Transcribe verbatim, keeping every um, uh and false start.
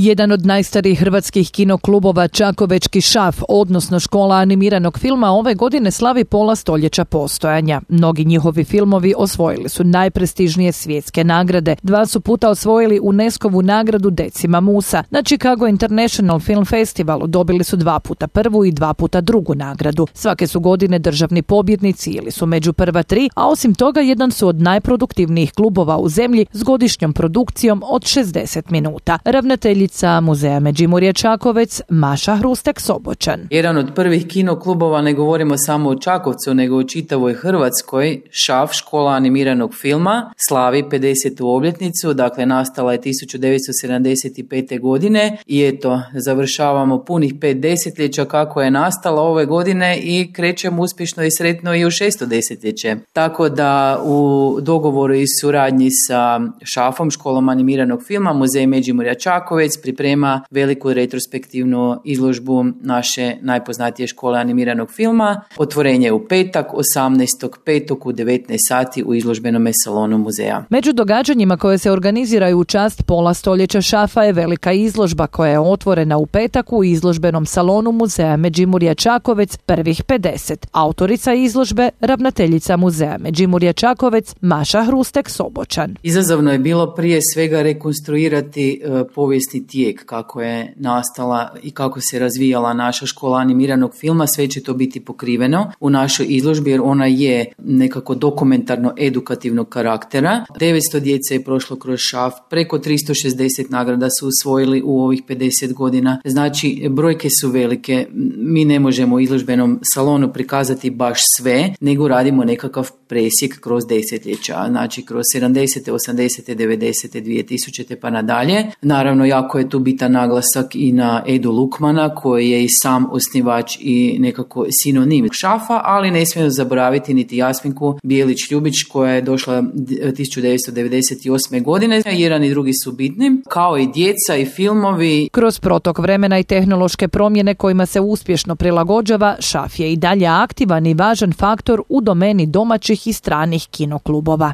Jedan od najstarijih hrvatskih kinoklubova Čakovečki šaf, odnosno škola animiranog filma, ove godine slavi pola stoljeća postojanja. Mnogi njihovi filmovi osvojili su najprestižnije svjetske nagrade. Dva su puta osvojili UNESCO-vu nagradu Decima Musa. Na Chicago International Film Festivalu dobili su dva puta prvu i dva puta drugu nagradu. Svake su godine državni pobjednici ili su među prva tri, a osim toga jedan su od najproduktivnijih klubova u zemlji s godišnjom produkcijom od šezdeset minuta. Ravnateljica Muzeja Međimurje Čakovec, Maša Hrustek-Soboćan. Jedan od prvih kinoklubova, ne govorimo samo o Čakovcu, nego o čitavoj Hrvatskoj, ŠAF, škola animiranog filma, slavi pedesetu obljetnicu, dakle nastala je tisuću devetsto sedamdeset pete. godine i eto, završavamo punih pet desetljeća kako je nastala ove godine i krećemo uspješno i sretno i u šesto desetljeće. Tako da u dogovoru i suradnji sa ŠAF-om, školom animiranog filma, Muzej Međimurja Čakovec priprema veliku retrospektivnu izložbu naše najpoznatije škole animiranog filma. Otvorenje je u petak, osamnaestog petog u devetnaest sati u izložbenom salonu muzeja. Među događanjima koje se organiziraju u čast pola stoljeća ŠAF-a je velika izložba koja je otvorena u petak u izložbenom salonu Muzeja Međimurja Čakovec prvih pedeset. Autorica izložbe, ravnateljica Muzeja Međimurja Čakovec, Maša Hrustek-Soboćan. Izazovno je bilo prije svega rekonstruirati e, povijesni tijek kako je nastala i kako se razvijala naša škola animiranog filma. Sve će to biti pokriveno u našoj izložbi jer ona je nekako dokumentarno-edukativnog karaktera. devetsto djece je prošlo kroz ŠAF, preko tristo šezdeset nagrada su usvojili u ovih pedeset godina. Znači, brojke su velike. Mi ne možemo u izložbenom salonu prikazati baš sve, nego radimo nekakav presjek kroz desetljeća. Znači, kroz sedamdesete, osamdesete, devedesete, dvije tisućite pa nadalje. Naravno, jako je tu bitan naglasak i na Edu Lukmana, koji je i sam osnivač i nekako sinonim ŠAF-a, ali ne smijemo zaboraviti niti Jasminku Bijelić-Ljubić, koja je došla tisuću devetsto devedeset osme. godine. Jedan i drugi su bitni, kao i djeca i filmovi. Kroz protok vremena i tehnološke promjene kojima se uspješno prilagođava, ŠAF je i dalje aktivan i važan faktor u domeni domaćih i stranih kinoklubova.